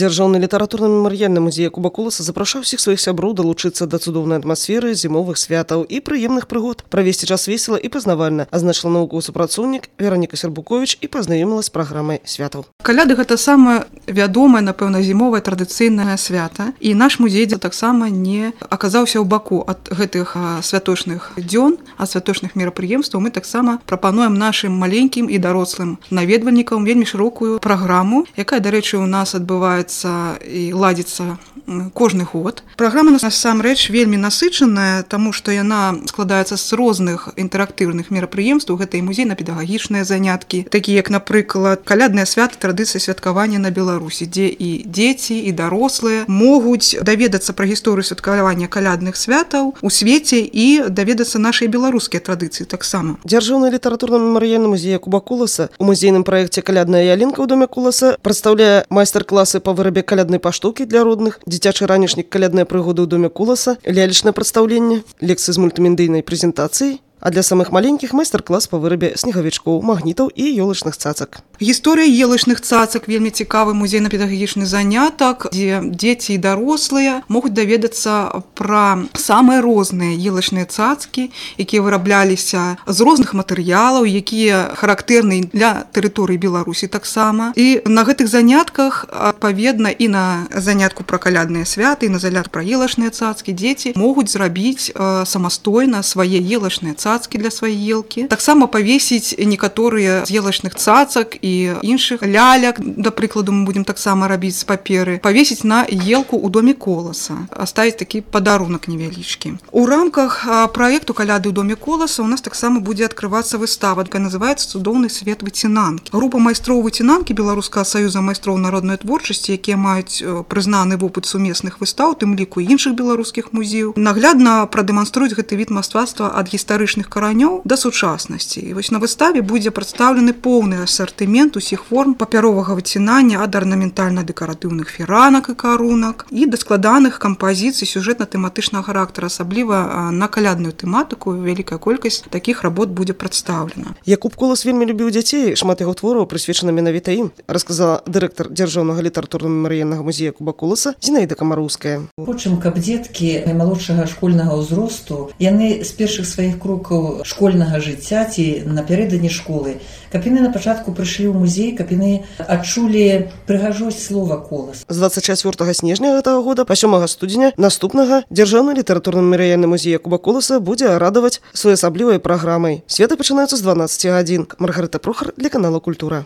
Дзяржаўны літаратурна-мемарыяльны музей Якуба Куласа запрашаў усіх сваіх сяброў далучыцца да цудоўнай атмасферы зімовых святаў і прыемных прыгод, правесці час весела і пазнавальна, азначыла навуковы супрацоўнік Вераніка Сербукович і пазнаёміла з праграмай святаў. Каляды гэта самае вядомае, напэўна, зімовае традыцыйнае свята, і наш музей таксама не аказаўся ў баку ад гэтых святочных дзён, ад святочных мерапрыемстваў. Мы таксама прапануем нашым маленькім і дарослым наведвальнікам вельмі шырокую праграму, якая, дарэчы, у нас адбываецца і ладзіцца кожны год. Праграма насамрэч вельмі насычаная, таму што яна складаецца з розных інтэрактыўных мерапрыемстваў. Гэта і музейна-педагагічныя заняткі, такія як, напрыклад, калядныя святы, традыцыі святкавання на Беларусі, дзе і дзеці, і дарослыя могуць даведацца пра гісторыю святкавання калядных святаў у свеце і даведацца нашай беларускія традыцыі таксама. Дзяржаўны літаратурна-мемарыяльны музей Якуба Куласа у музейным праекце «Калядная ялінка» ў доме Куласа прадстаўляе майстар-класы па вырабе каляднай паштоўкі для родных, дзіцячы ранішнік «Калядныя прыгоды» ў доме Куласа, лялечнае прадстаўленне, лекцыі з мультымедыйнай прэзентацыяй, а для самых маленькіх майстар-клас па вырабе снегавічкоў, магнітаў і ёлачных цацак. Гісторыя елачных цацак вельмі цікавы музейна-педагагічны занятак, дзе дзеці і дарослыя могуць даведацца пра самыя розныя елачныя цацкі, якія вырабляліся з розных матэрыялаў, якія характэрны для тэрыторыі Беларусі таксама. І на гэтых занятках, адпаведна, і на занятку пра калядныя святы, і на занятку пра елачныя цацкі дзеці могуць зрабіць самастойна свае елачныя цацкі для свае елкі. Таксама павесіць некаторыя з елачных цацак і іншых ляляк, да прыкладу, мы будзем таксама рабіць з паперы, павесіць на елку ў доме Коласа, аставіць такі падарунак невялічкі. У рамках праекту «Каляды ў доме Коласа» у нас таксама будзе адкрывацца выстава, якая называецца «Цудоўны свет выцінанкі». Група майстроў выцінанкі Беларускага саюза майстроў народнай творчасці, якія маюць прызнаны вопыт сумесных выстаў, тым ліку іншых беларускіх музеяў, наглядна прадэманструюць гэты від мастацтва ад гістарычных каранёў да сучаснасці. І вось на выставе будзе прадстаўлены поўны асартымент усіх форм папяровага выцінання, ад арнаментальна-дэкаратыўных фіранак і карунак і да складаных кампазіцый сюжэтна-тэматычнага характара, асабліва на калядную тэматыку. Вялікая колькасць такіх работ будзе прадстаўлена. Якуб Кулас вельмі любіў дзяцей, шмат яго твораў прысвечана менавіта ім, расказала дырэктар дзяржаўнага літаратурна-мемарыяльнага музея Якуба Куласа Зінаіда Камароўская. Хочам, каб дзеткі малодшага школьнага ўзросту, яны з першых сваіх крокаў школьнага жыцця ці напярэдадні школы, каб яны на пачатку прыйшлі ў музей, каб яны адчулі прыгажосць слова «колас». З 24 снежня гэтага года па 7 студзеня наступнага дзяржаўны літаратурна-мемарыяльны музей Якуба Куласа будзе радаваць своеасаблівай праграмай. Святы пачынаюцца з 12 гадзін. Маргарыта Прохар для канала «Культура».